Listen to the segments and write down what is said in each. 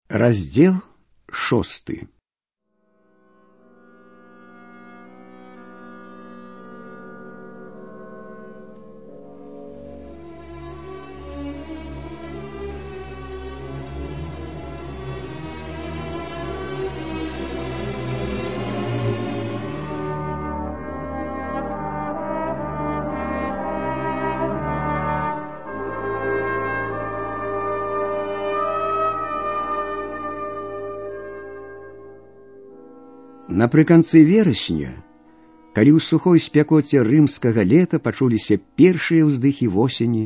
Раздел 6. Напрыканцы верасня, калі ў сухой спякоце рымскага лета пачуліся першыя ўздыхі восені,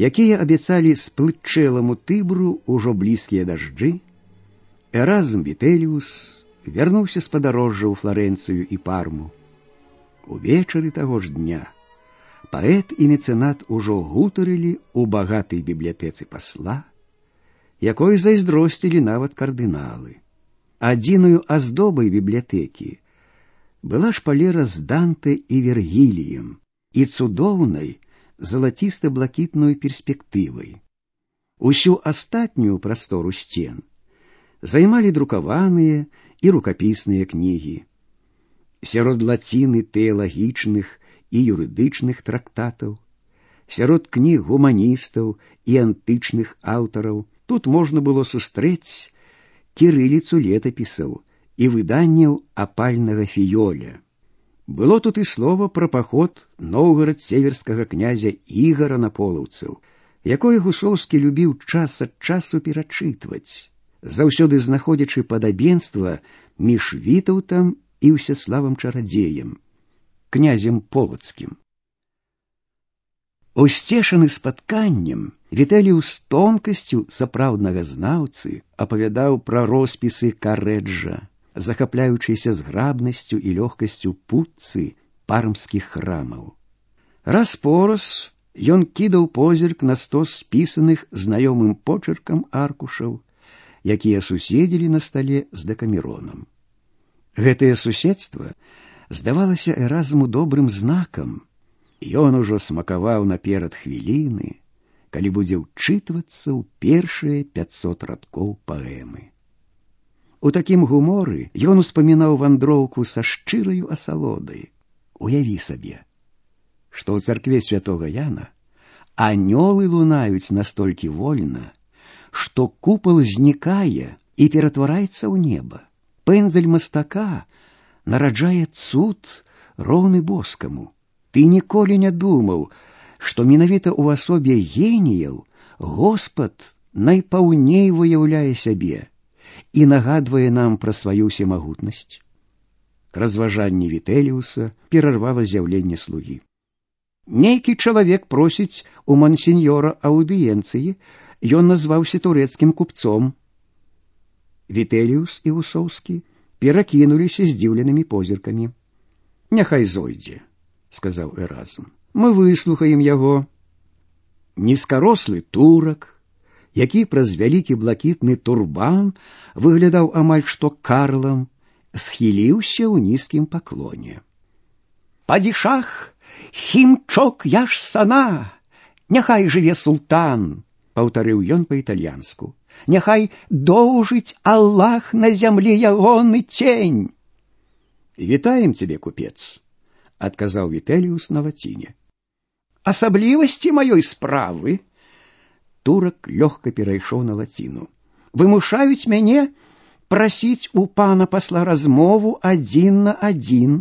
якія абяцалі сплытчэламу Тыбру ўжо блізкія дажджы, Эразм Вітэліус вярнуўся з падарожжа ў Фларэнцыю і Парму. Увечары таго ж дня паэт і мецэнат ужо гутарылі ў багатай бібліятэцы пасла, якой зайздросцілі нават кардыналы. Адзіною аздобай бібліятэкі была шпалера з Данте і Вергіліем і цудоўнай залаціста-блакітнай перспектывай. Усю астатнюю прастору сцен займалі друкаваныя і рукапісныя кнігі. Сярод лаціны тэалагічных і юрыдычных трактатаў, сярод кніг гуманістаў і антычных аўтараў тут можна было сустрэць кірыліцу летапісаў і выданняў апальнага фіёля. Было тут і слова пра паход новгарад-северскага князя Ігара на полаўцаў, якое Гусоўскі любіў час ад часу перачытваць, заўсёды знаходзячы падабенства між Вітаўтам і Ўсяславам чарадзеем, князем полацкім. Усцешаны спатканнем, Вітэліус тонкасцю сапраўднага знаўцы апавядаў пра роспісы Карэджа, захапляючыся зграбнасцю і лёгкасцю путцы пармскіх храмаў. Раз-пораз ён кідаў позірк на стос спісаных знаёмым почыркам аркушаў, якія суседзілі на стале з Дэкамеронам. Гэтае суседства здавалася Эразму добрым знакам. Ён ужо смакаваў наперад хвіліны, калі будзе ўчытвацца ў першыя 500 радкоў паэмы. У такім гуморы ён успамінаў вандроўку са шчыраю асалодай. Уяві сабе, што ў царкве святога Яна анёлы лунаюць настолькі вольна, што купал знікае і ператвараецца ў неба. Пэндзаль мастака нараджае цуд, роўны боскаму. Ты ніколі не думаў, што менавіта ў асобе геніяў Господ найпаўней выяўляе сябе і нагадвае нам пра сваю всемагутнасць. Разважанне Вітэліуса перарвала з'яўленне слугі. Нейкі чалавек просіць у мансіньёра аўдыенцыі, ён назваўся турэцкім купцом. Вітэліус і Гусоўскі перакінуліся здзіўленымі позіркамі. Няхай зойдзе, сказаў Эразм. Мы выслухаем яго. Нізкарослы турак, які праз вялікі блакітны турбан выглядаў амаль што карлам, схіліўся ў нізкім паклоне. «Падішах, хімчок яш сана! Няхай жыве султан!» — паўтарыў ён па-італьянску. «Няхай доўжыць Аллах на зямлі ягоны цень!» «Вітаем цябе, купец!» — адказаў Вітэліус на лаціне. «Асаблівасці маёй справы», — турак лёгка перайшоў на лаціну, «вымушаюць мяне прасіць у пана пасла размову адзін на адзін».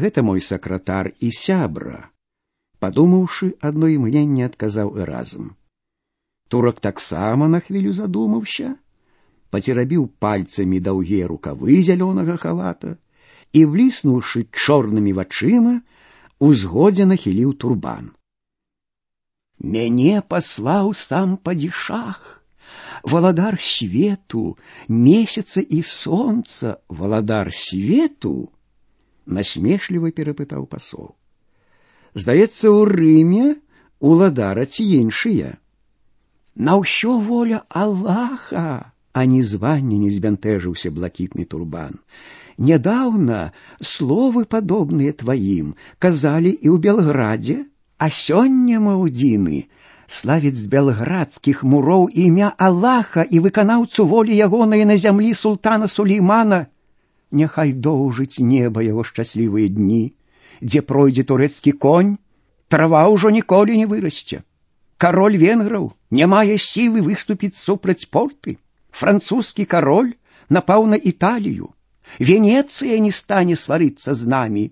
«Гэта мой сакратар і сябра», — падумаўшы адно імгненне, адказаў Эразм. Турак таксама на хвілю задумаўся, пацерабіў пальцамі даўгія рукавы зялёнага халата і, бліснуўшы чорнымі вачыма, узгодзе нахіліў турбан. «Мяне паслаў сам падішах, валадар свету, месяца і сонца, валадар свету?» — насмешліва перапытаў пасол. «Здаецца, у Рыме уладара ці іншыя?» «На ўсё воля Аллаха!» — ані звання не збянтэжыўся блакітны турбан. «Нядаўна словы падобныя тваім казалі і ў Белградзе, а сёння, маўдзіны, славіць з белградскіх муроў імя Аллаха і выканаўцу волі ягонай на зямлі султана Сулеймана. Няхай доўжыць неба яго шчаслівыя дні, дзе пройдзе турэцкі конь, трава ўжо ніколі не вырасце. Кароль венграў не мае сілы выступіць супраць порты. Французскі кароль напаў на Італію. Венецыя не стане сварыцца з намі,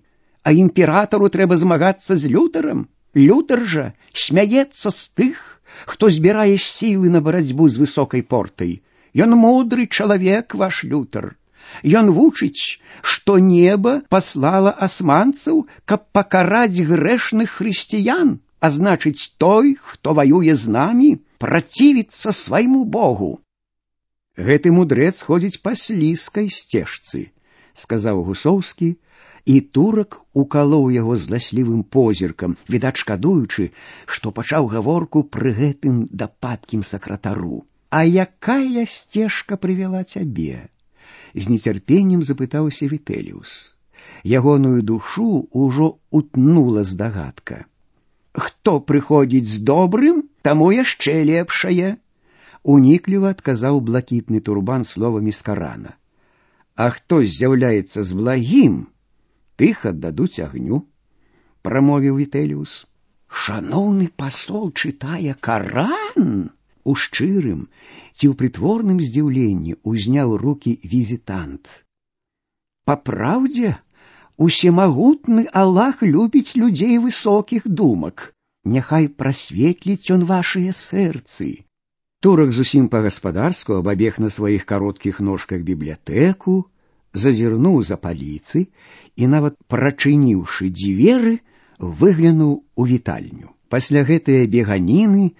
а імператару трэба змагацца з Лютарам. Лютар жа смяецца з тых, хто збірае сілы на барацьбу з высокай портай. Ён мудры чалавек, ваш Лютар. Ён вучыць, што неба паслала асманцаў, каб пакараць грэшных хрысціян, а значыць, той, хто ваюе з намі, працівіцца свайму Богу. Гэты мудрэц ходзіць па слізкай сцежцы, сказаў Гусоўскі, і турак укалоў яго зласлівым позіркам, відаць шкадуючы, што пачаў гаворку пры гэтым дапаткім сакратару. А якая сцежка прывяла цябе? З нецярпеннем запытаўся Вітэліус. Ягоную душу ўжо утнула здагадка. Хто прыходзіць з добрым, таму яшчэ лепшае. Унікліва адказаў блакітны турбан словамі з Карана. А хто з'яўляецца з благім, тых аддадуць агню, прамовіў Вітэліус. Шаноўны пасол чытае Каран? У шчырым ці ў прытворным здзіўленні ўзняў рукі візітант. Па праўдзе, усемагутны Аллах любіць людзей высокіх думак. Няхай прасветліць ён вашыя сэрцы. Турак зусім па-гаспадарску абабег на сваіх кароткіх ножках бібліятэку, зазірнуў за паліцы і, нават прачыніўшы дзверы, выглянуў у вітальню. Пасля гэтыя беганіны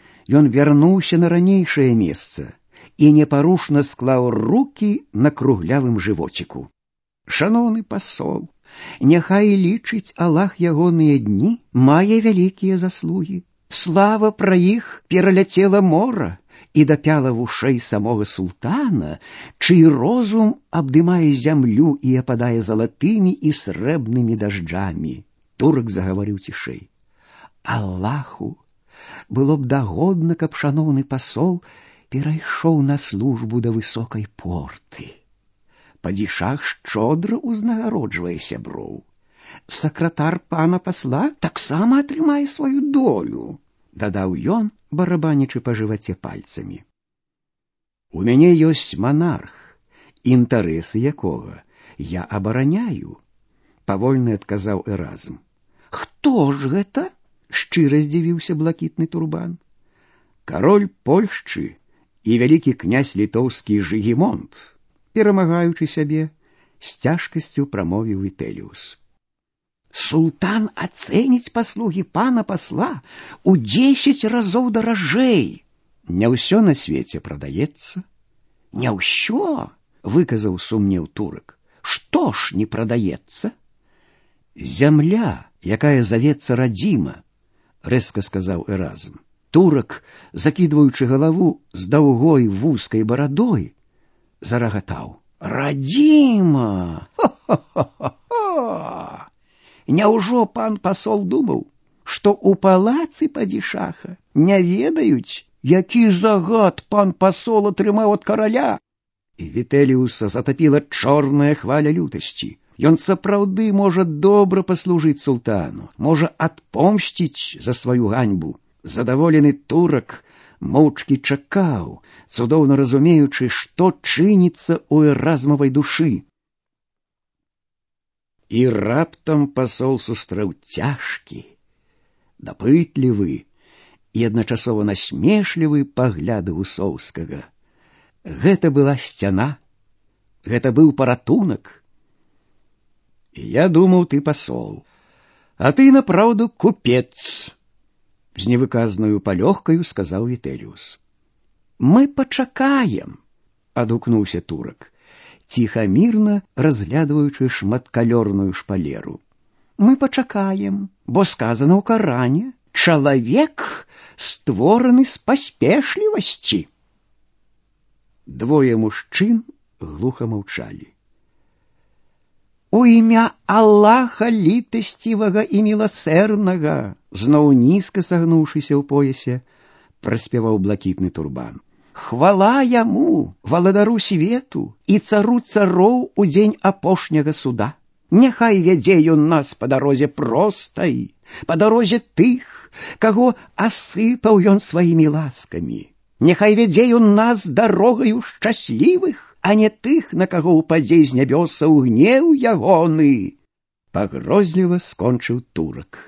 ён вярнуўся на ранейшае месца і непарушна склаў рукі на круглявым жывоціку. Шаноўны пасол, няхай лічыць Аллах ягоныя дні, мае вялікія заслугі. Слава пра іх пераляцела мора і дапяла вушэй самога султана, чый розум абдымае зямлю і ападае залатымі і срэбнымі дажджамі. Турак загаварыў цішэй. Аллаху было б дагодна, каб шаноўны пасол перайшоў на службу да высокай порты. Падзішах шчодра ўзнагароджвае сяброў. Сакратар пана пасла таксама атрымае сваю долю, дадаў ён, барабанячы па жываце пальцамі. У мяне ёсць манарх, інтарэсы якога я абараняю, павольна адказаў Эразм. Хто ж гэта? Шчыра здзівіўся блакітны турбан. Кароль Польшчы і вялікі князь літоўскі Жыгімонт, перамагаючы сябе, з цяжкасцю прамовіў Вітэліус. Султан ацэніць паслугі пана пасла у 10 разоў даражэй. Не ўсё на свеце прадаецца. Не ўсё, выказаў сумнеў турак. Што ж не прадаецца? Зямля, якая завецца радзіма, рэзка сказаў Эразм. Турак, закідваючы галаву з даўгой вузкай барадой, зарагатаў. Радзіма! Ха-ха-ха-ха! Няўжо пан пасол думаў, што ў палацы падзішаха не ведаюць, які загад пан пасол атрымаў ад караля? І Вітэліуса затапіла чорная хваля лютасці. Ён сапраўды можа добра паслужыць султану, можа адпомсціць за сваю ганьбу. Задаволены турак моўчкі чакаў, цудоўна разумеючы, што чыніцца ў Эразмавай душы. І раптам пасол сустрэў цяжкі, дапытлівы і адначасова насмешлівы пагляд Гусоўскага. Гэта была сцяна, гэта быў паратунак. Я думаў, ты пасол, а ты, напраўду, купец, з невыказнаю палёгкаю сказаў Вітэліус. Мы пачакаем, адгукнуўся турак, ціхамірна разглядваючы шматкалёрную шпалеру. Мы пачакаем, бо сказана ў Каране, чалавек створаны з паспешлівасці. Двое мужчын глуха маўчалі. У імя Аллаха літасцівага і міласэрнага, зноў нізка сагнуўшыся ў поясе, праспяваў блакітны турбан. Хвала яму, валадару свету і цару цароў у дзень апошняга суда. Няхай вядзе ён нас па дарозе простай, па дарозе тых, каго асыпаў ён сваімі ласкамі. Няхай вядзе ён нас дарогаю шчаслівых, а не тых, на каго ўпадзе з нябёсаў гнеў ягоны. Пагрозліва скончыў турак.